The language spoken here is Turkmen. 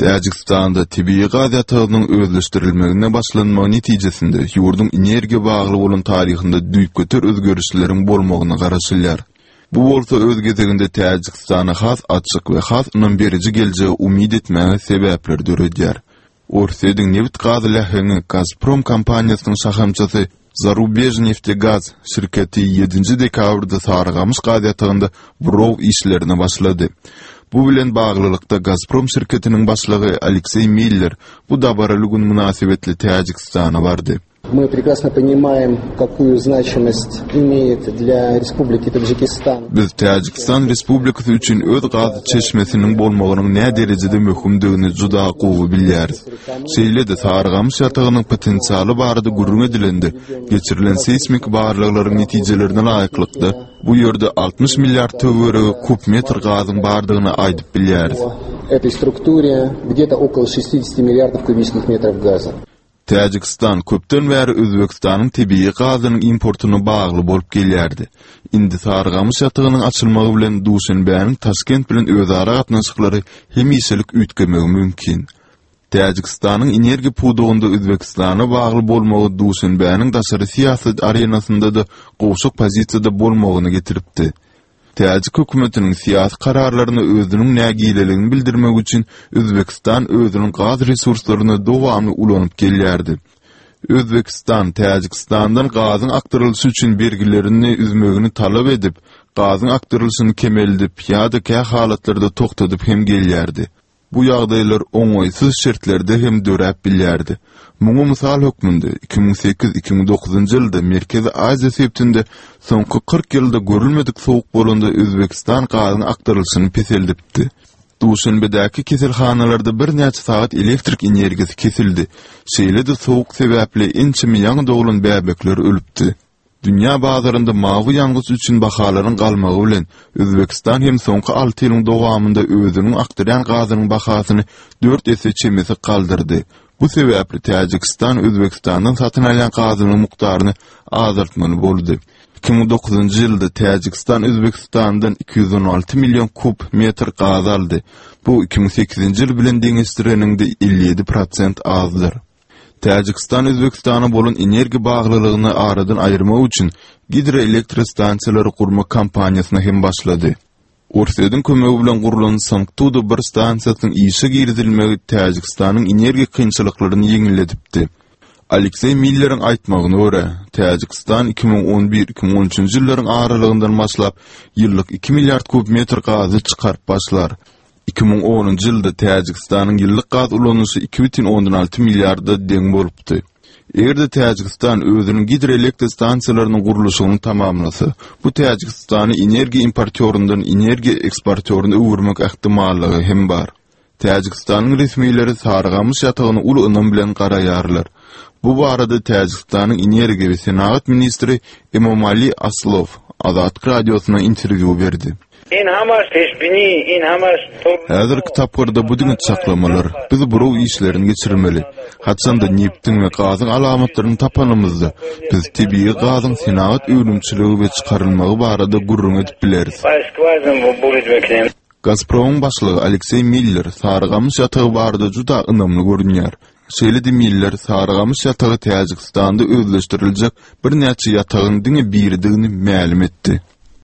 Täjigistanda tebigy gaz ýatagynyň özleşdirilmegine başlanmagy netijesinde ýurduň energiýa bagly bolan taryhynda düýpgöter özgerişleriň bolmagyna garaşylýar. Bu bolsa öz gezeginde Täjigistana has açyk we has ynam beriji geljege umyt etmäge sebäpler döredýär. Orsýetiň nebit-gaz läheňi Gazprom kompaniýasynyň şahamçasy Zarubežneftegaz şirketi ýedinji dekabrda Sarygamyş gaz ýatagynda buraw işlerine başlady. Bu bilen baglylykda Gazprom şirketiniň başlygy Alekseý Miller bu dabaraly gün mynasybetli Täjigistana bardy. Мы прекрасно понимаем, какую значимость имеет для Республики Таджикистан. Biz Täjigistan Respublikasy üçin öz gaz çeşmesiniň bolmagynyň näderejede möhümdigini juda gowy bilýäris. Şeýle-de Sarygamyş ýatagynyň potensialy barada gürrüň edilende, geçirilen seýsmik barlaglaryň netijelerine laýyklykda, bu ýerde 60 milliard töweregi kub metr gazyň bardygyny aýdyp bilýäris. Этой структуре где-то около 60 milliardов кубических метров газа. Täjigistan köpden bäri Özbegistanyň tebigy gazynyň importyna bagly bolup gelýärdi. Indi Sarygamyş ýatagynyň açylmagy bilen Duşenbäniň Taşkent bilen özara gatnaşyklary hemişelik üýtgemegi mümkin. Täjigistanyň energiýa pudagynda Özbegistana bagly bolmagy Duşenbäniň daşary syýasat arenasynda-da gowşak pozisiýada bolmagyna getiripdi. Täjik hökümetiniň syýasy kararlaryna özüniň nägileligini bildirmek üçin Özbegistan özüniň gaz resurslaryny dowamly ulanyp gelýärdi. Özbegistan Täjigistandan gazyň akdyrylyşy üçin bergilerini üzmegini talap edip, gazyň akdyrylyşyny kemeldip ýa-da kä halatlarda togtadyp hem gelýärdi. Bu ýagdaýlar oňaýsyz şertlerde hem döräp bilýärdi. Muňa mysal hökmünde, 2008, 2009-njy ýylda Merkezi Aziýa sebitinde soňky 40 ýylda görülmedik sowuk bolanda Özbegistan gazyň akdyrylyşyny peseldipdi. Duşenbedäki keselhanalarda birnäçe sagat elektrik energiýasy kesildi. Şeýle-de sowuk sebäpli ençeme ýaňy doglan bäbekler ölüpdi. Dünýä bazarynda mawy ýangyç üçin bahalaryň galmagy bilen, Özbegistan hem soňky alty ýylyň dowamynda özüniň akdyrýan gazynyň bahasyny dört esse çemesi galdyrdy. Bu sebäpli Täjigistan Özbegistandan satyn alýan gazynyň mukdaryny azaltmaly boldy. 2009-njy ýylda Täjigistan Özbegistandan 216 million kub metr gaz aldy. Bu 2008-nji ýyl bilen deňeşdireniňde 57 prosent azdyr. Täjigistan Özbegistana bolan energiýa baglylygyny aradan aýyrmak üçin gidroelektrostansiýalary gurmak kampaniýasyna hem başlady. Orsýetiň kömegi bilen gurlan Sangtuda bir stansiýasynyň işe girizilmegi Täjigistanyň energiýa kynçylyklaryny ýeňilledipdi. Alekseý Milleriň aýtmagyna görä, Täjigistan 2011, 2013-nji ýyllaryň aralygyndan başlap ýyllyk iki milliard kub metr gazy çykaryp başlar. 2010-njy ýylda Täjigistanyň ýyllyk gaz ulanyşy 2,6 milliarda deň bolupdy. Eger-de Täjigistan özüniň gidroelektr stansiýalarynyň gurluşygyny tamamlasa, bu Täjigistany energiýa importýoryndan energiýa eksportýoryna öwürmek ähtimallygy hem bar. Täjigistanyň resmileri Sarygamyş ýatagyna uly ynam bilen garaýarlar. Bu barada Täjigistanyň energiýa we senagat ministri Emomali Aslow Azatlyk Radiosyna interwýu berdi. Häzirki tapgyrda bu diňe çaklamalar. Biz buraw işlerini geçirmeli. Haçanda nebtiň we gazyň alamatlaryny tapanymyzda, biz tebigy gazyň senagat önümçiligi we çykarylmagy barada gürrüň edip bileris. Gazpromyň başlygy Alekseý Miller Sarygamyş ýatagy barada juda ynamly görünýär. Şeýle-de Miller Sarygamyş ýatagy Täjigistanda özleşdiriljek birnäçe ýatagyň diňe biridigini mälim etdi.